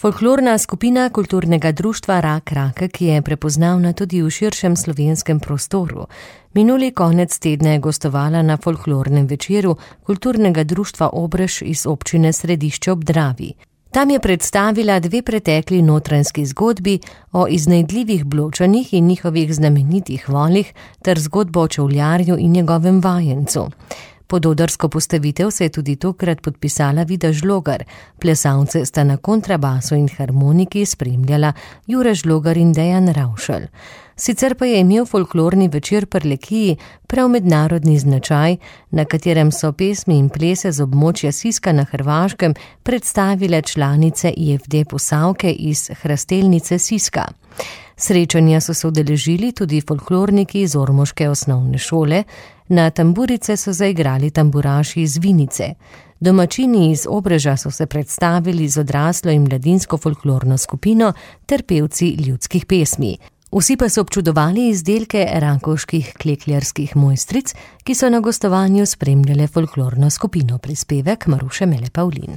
Folklorna skupina kulturnega društva Rak Rakek je prepoznavna tudi v širšem slovenskem prostoru. Minuli konec tedna je gostovala na folklornem večeru kulturnega društva Obrež iz občine Središče ob Dravi. Tam je predstavila dve pretekli notranjski zgodbi o iznajdljivih Bločanih in njihovih znamenitih volih ter zgodbo o čevljarju in njegovem vajencu. Pod odrsko postavitev se je tudi tokrat podpisala Vida Žlogar. Plesalce sta na kontrabasu in harmoniki spremljala Jure Žlogar in Dejan Ravšelj. Sicer pa je imel folklorni večer Prlekiji prav mednarodni značaj, na katerem so pesmi in plese z območja Siska na Hrvaškem predstavile članice IFD Posavke iz Hrastelnice Siska. Srečanja so se udeležili tudi folklorniki iz ormoške osnovne šole, na tamburice so zaigrali tamburaši iz Vinice. Domačini iz Obreža so se predstavili z odraslo in mladinsko folklorno skupino ter pevci ljudskih pesmi. Vsi pa so občudovali izdelke rakovških klekljarskih mojstric, ki so na gostovanju spremljale folklorno skupino. Prispevek Maruše Mele Pavlin.